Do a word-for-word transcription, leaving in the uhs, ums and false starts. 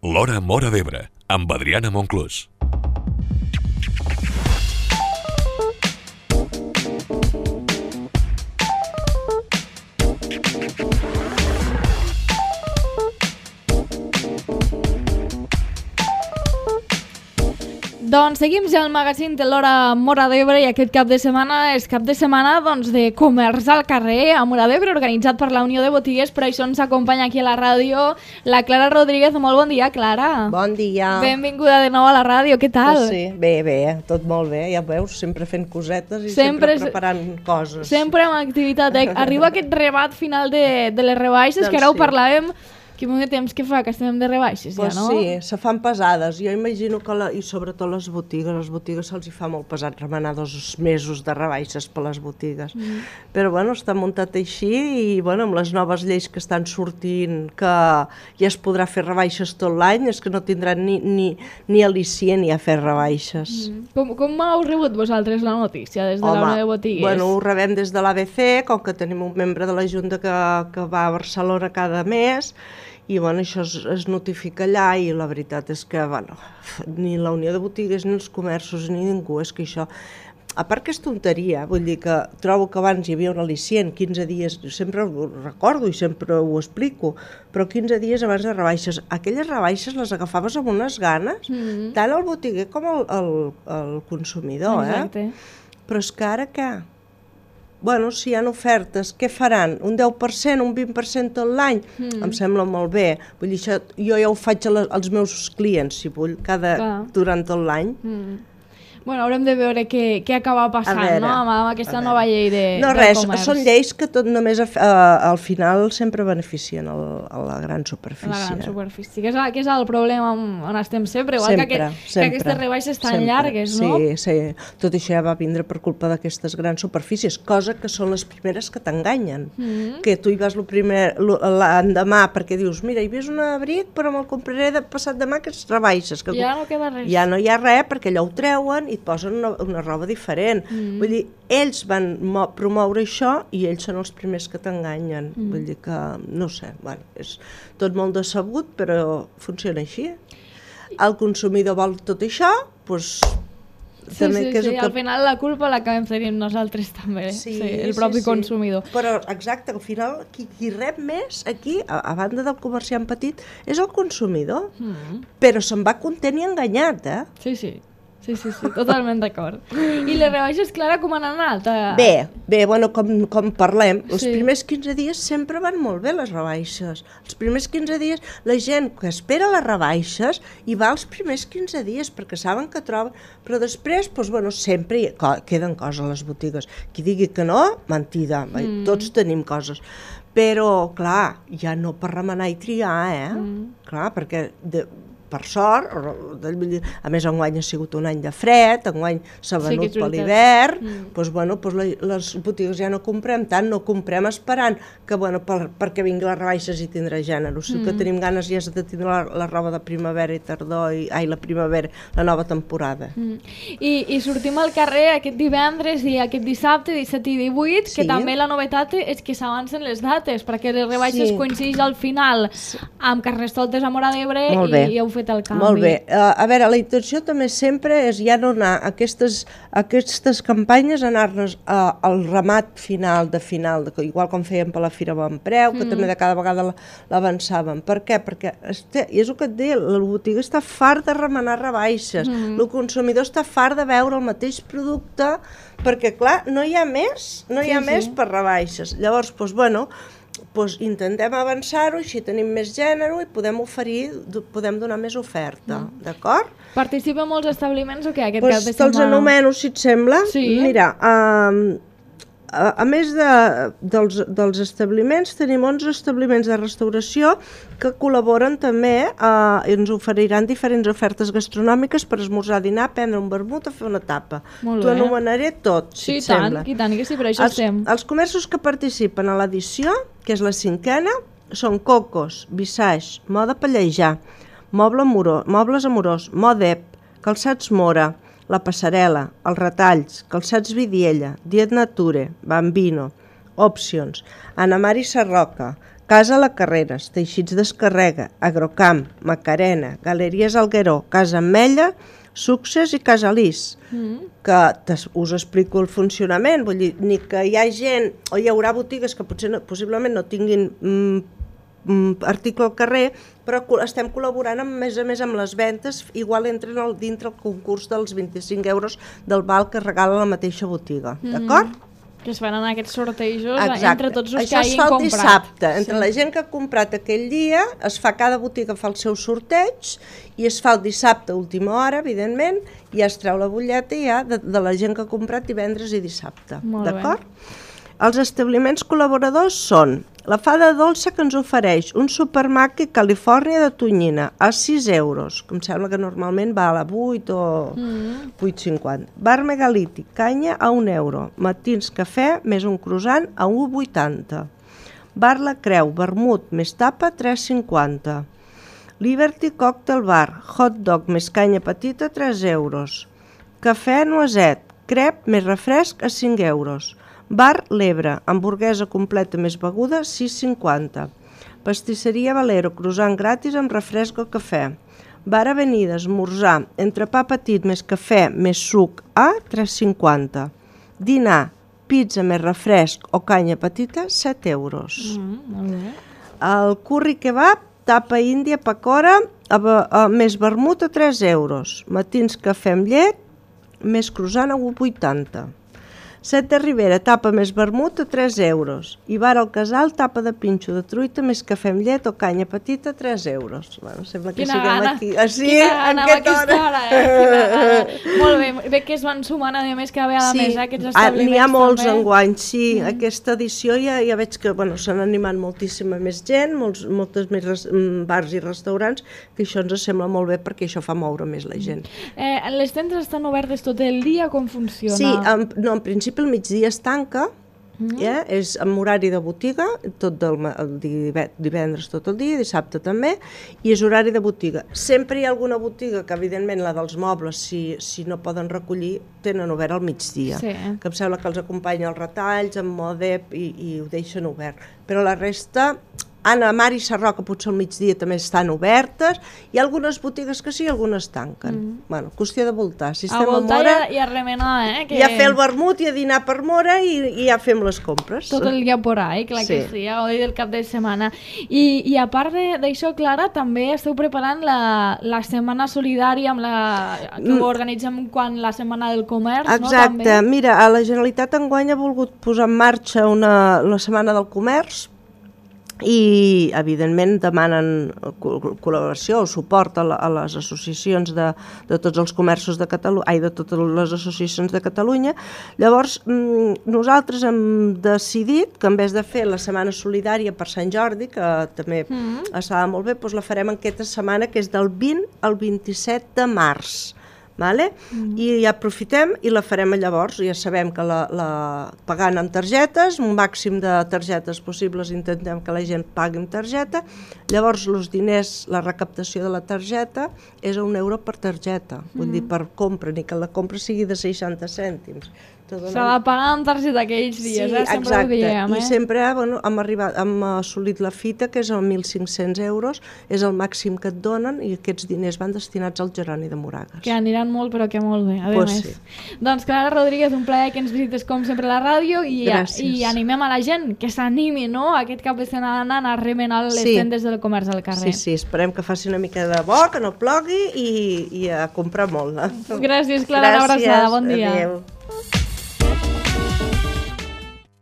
L'Hora Móra d'Ebre, amb Adriana Monclús. Doncs seguim ja al magazín de l'Hora Móra d'Ebre i aquest cap de setmana és cap de setmana doncs, de comerç al carrer a Móra d'Ebre, organitzat per la Unió de Botigues. Per això ens acompanya aquí a la ràdio la Clara Rodríguez. Molt bon dia, Clara. Bon dia. Benvinguda de nou a la ràdio, què tal? Pues sí, bé, bé, tot molt bé, ja veus, sempre fent cosetes i sempre, sempre preparant coses. Sempre amb activitat. Eh? Arriba aquest rebat final de, de les rebaixes, doncs que ara ho sí. parlàvem. Quin molt de temps que fa que estem de rebaixes, pues ja, no? Sí, se fan pesades. Jo imagino que, la, i sobretot les botigues, les botigues se'ls hi fa molt pesat remenar dos mesos de rebaixes per les botigues. Mm. Però, bueno, està muntat així i, bueno, amb les noves lleis que estan sortint, que ja es podrà fer rebaixes tot l'any, és que no tindran ni, ni, ni al·licient ni a fer rebaixes. Mm. Com, com heu rebut vosaltres la notícia des de Home, la Unió de Botigues? Bueno, ho rebem des de l'A B C, com que tenim un membre de la Junta que, que va a Barcelona cada mes, i bueno, això es, es notifica allà i la veritat és que bueno, ni la Unió de Botigues ni els comerços ni ningú, és que això, a part que és tonteria, vull dir que trobo que abans hi havia un al·licient, quinze dies, sempre ho recordo i sempre ho explico, però quinze dies abans de rebaixes, aquelles rebaixes les agafaves amb unes ganes, mm-hmm. tant el botiguer com el, el, el consumidor, Exacte. eh? Però és que ara què? Bueno, si hi ha ofertes, què faran? Un deu per cent, un vint per cent tot l'any? Mm. Em sembla molt bé. Vull dir, això, jo ja ho faig a la, als meus clients, si vull, cada, durant tot l'any. Mm. Bueno, haurem de veure què, què acaba passant, no?, amb, amb aquesta nova llei de, no, del res, comerç. Són lleis que tot només a, a, al final sempre beneficien el, a la gran superfície. La gran superfície, que és, que és el problema on estem sempre, igual sempre, que, que, sempre, que aquestes rebaixes tan sempre. llargues, no? Sí, sí, tot això ja va vindre per culpa d'aquestes grans superfícies, cosa que són les primeres que t'enganyen, mm-hmm. que tu hi vas l'endemà perquè dius, mira, hi ves un abric però me'l compraré de passat demà que es rebaixes. Que ja no queda res. Ja no hi ha res perquè allò ho treuen i et posen una, una roba diferent. Mm. Vull dir, ells van promoure això i ells són els primers que t'enganyen. Mm. Vull dir que, no sé, bueno, és tot molt decebut, però funciona així. El consumidor vol tot això, doncs... Sí, també sí, que és sí, que... al final la culpa l'acabem tenint nosaltres també, sí, sí, el propi sí, consumidor. Sí. Però, exacte, al final qui, qui rep més aquí, a, a banda del comerciant petit, és el consumidor. Mm. Però se'n va content i enganyat, eh? Sí, sí. Sí, sí, sí, totalment d'acord. I les rebaixes, Clara, com han anat? Bé, bé, bueno, com, com parlem, els sí. primers quinze dies sempre van molt bé les rebaixes. Els primers quinze dies, la gent que espera les rebaixes hi va els primers quinze dies perquè saben que troben, però després, doncs, bueno, sempre hi queden coses a les botigues. Qui digui que no, mentida, mm. tots tenim coses. Però, clar, ja no per remenar i triar, eh? Mm. Clar, perquè... De, per sort, a més enguany ha sigut un any de fred, enguany s'ha venut sí, per l'hivern, mm. doncs, bueno, doncs les botigues ja no comprem tant, no comprem esperant que bueno, per, perquè vingui les rebaixes i tindrà gènere, o sigui mm. que tenim ganes ja de tindre la, la roba de primavera i tardor, i, ai, la primavera, la nova temporada. Mm. I, I sortim al carrer aquest divendres i aquest dissabte, disset i divuit, sí. que també la novetat és que s'avancen les dates, perquè les rebaixes sí. coincideix al final sí. amb Carnestoltes a Móra d'Ebre i, i heu fet el canvi. Molt bé. Uh, a veure, la intenció també sempre és ja no anar a aquestes, a aquestes campanyes, anar-nos uh, al ramat final de final, de, igual com fèiem per la Fira Bon Preu, que mm. també de cada vegada l'avançàvem. Per què? Perquè, este, és el que et deia, la botiga està fart de remenar rebaixes, mm. el consumidor està fart de veure el mateix producte, perquè, clar, no hi ha més, no hi ha sí, més sí. per rebaixes. Llavors, doncs, bueno, pues intentem avançar-ho, així tenim més gènere i podem oferir, podem donar més oferta, mm. d'acord? Participa molts establiments o què aquest pues cap de setmana? Te'ls anomeno, si et sembla. Sí. Mira, um, a, a més de, dels, dels establiments, tenim onze establiments de restauració que col·laboren també uh, i ens oferiran diferents ofertes gastronòmiques per esmorzar, dinar, prendre un vermut o fer una tapa. T'ho anomenaré tot, si sí, et tant, sembla. Sí, i tant, que sí, per això els, estem. Els comerços que participen a l'edició, que és la cinquena, són Cocos, Visage, Moda Pallejà, Moble Amorós, Mobles Amorós, Modep, Calçats Mora, La Passarel·la, Els Retalls, Calçats Vidiella, Diet Nature, Bambino, Options, Anna Mari Sarroca, Casa La Carreres, Teixits d'Escarrega, Agrocamp, Macarena, Galeries Algueró, Casa Ametlla, Success i Casalís, mm. que us explico el funcionament, vull dir, ni que hi ha gent, o hi haurà botigues que potser no, possiblement no tinguin mm, mm, article al carrer, però estem col·laborant amb, més a més amb les ventes, igual entren al, dintre el concurs dels vint-i-cinc euros del val que regala la mateixa botiga, mm. d'acord? Que es faran aquests sortejos. Exacte. Entre tots els Això que hagin comprat. Això es fa el dissabte. Entre sí. la gent que ha comprat aquell dia, es fa, cada botiga fa el seu sorteig i es fa el dissabte a última hora, evidentment, i ja es treu la butlleta ja de, de la gent que ha comprat divendres i dissabte. D'acord? Els establiments col·laboradors són la Fada Dolça, que ens ofereix un supermarket Califòrnia de tonyina a sis euros, que em sembla que normalment val a vuit o mm. vuit cinquanta. Bar Megalític, canya a un euro. Matins cafè més un croissant a un vuitanta. Bar La Creu, vermut més tapa, tres cinquanta. Liberty Cocktail Bar, hot dog més canya petita, tres euros. Cafè Noiset, crep més refresc a cinc euros. Bar L'Ebre, hamburguesa completa més beguda, sis cinquanta. Pastisseria Valero, croissant gratis amb refresc o cafè. Bar Avenida, esmorzar, entrepà petit més cafè més suc a tres cinquanta. Dinar, pizza més refresc o canya petita, set euros. Mm, molt bé. El curri kebab, tapa índia, pacora, a, a, més vermut a tres euros. Matins cafè amb llet, més croissant a un vuitanta. Set de Ribera, tapa més vermut a tres euros. I Bar al Casal, tapa de pinxo de truita més cafè amb llet o canya petita, tres euros. Bueno, sembla que Quina siguem gana. aquí. Ah, sí? Quina gana amb aquesta hora. hora, eh? Quina gana. Molt bé, bé que es van sumant, a més, que ve a la sí. mesa aquests Ah, establiments. n'hi ha molts també. enguany, sí. Mm. Aquesta edició ja, ja veig que bueno, s'han animat moltíssima més gent, molts, moltes més res, bars i restaurants, que això ens sembla molt bé perquè això fa moure més la gent. Eh, les tendes estan obertes tot el dia, com funciona? Sí, en, no, en principi el migdia es tanca, mm. ja, és amb horari de botiga, tot del, el divendres tot el dia, dissabte també, i és horari de botiga. Sempre hi ha alguna botiga que, evidentment, la dels mobles, si, si no poden recollir, tenen obert al migdia, sí. que em sembla que els acompanya els retalls, amb Modep, i, i ho deixen obert. Però la resta... Anna, Mar i Sarroca potser al migdia també estan obertes, hi ha algunes botigues que sí i algunes tanquen. Mm. Bueno, qüestió de voltar. Si estem a voltar a Mora, i a remenar, eh? Que... I a fer el vermut i a dinar per Mora i, i ja fem les compres. Tot el dia por ahí, clar sí. que sí, a gaudir del cap de setmana. I, i a part d'això, Clara, també esteu preparant la, la setmana solidària amb la, que ho organitzem quan la setmana del comerç, exacte. no? També. Mira, a la Generalitat enguany ha volgut posar en marxa una, la setmana del comerç, i evidentment demanen col·laboració o suport a, la, a les associacions de, de tots els comerços de Catalunya, ai, de totes les associacions de Catalunya. Llavors nosaltres hem decidit que en vez de fer la setmana solidària per Sant Jordi, que també mm. estava molt bé, doncs la farem en aquesta setmana, que és del vint al vint-i-set de març. Vale? Mm. I ja aprofitem i la farem llavors. Ja sabem que la, la pagant amb targetes, un màxim de targetes possibles, intentem que la gent pagui amb targeta. Llavors els diners, la recaptació de la targeta és a un euro per targeta, mm. vull dir per compra, ni que la compra sigui de seixanta cèntims. S'ha de pagar amb targeta aquells dies, sí, eh? Sempre exacte. Ho diem, eh? I sempre bueno, hem, arribat, hem assolit la fita, que és el mil cinc-cents euros, és el màxim que et donen, i aquests diners van destinats al Jeroni de Moragues. Que aniran molt, però que molt bé, a pues més. Sí. Doncs Clara Rodríguez, un plaer que ens visites com sempre a la ràdio, i, i animem a la gent que s'animi, no?, aquest cap de setmana a remenar les sí. tendes del comerç al carrer. Sí, sí, esperem que faci una mica de bo, que no plogui, i, i a comprar molt. Eh? Gràcies, Clara, una abraçada, bon dia. Adéu.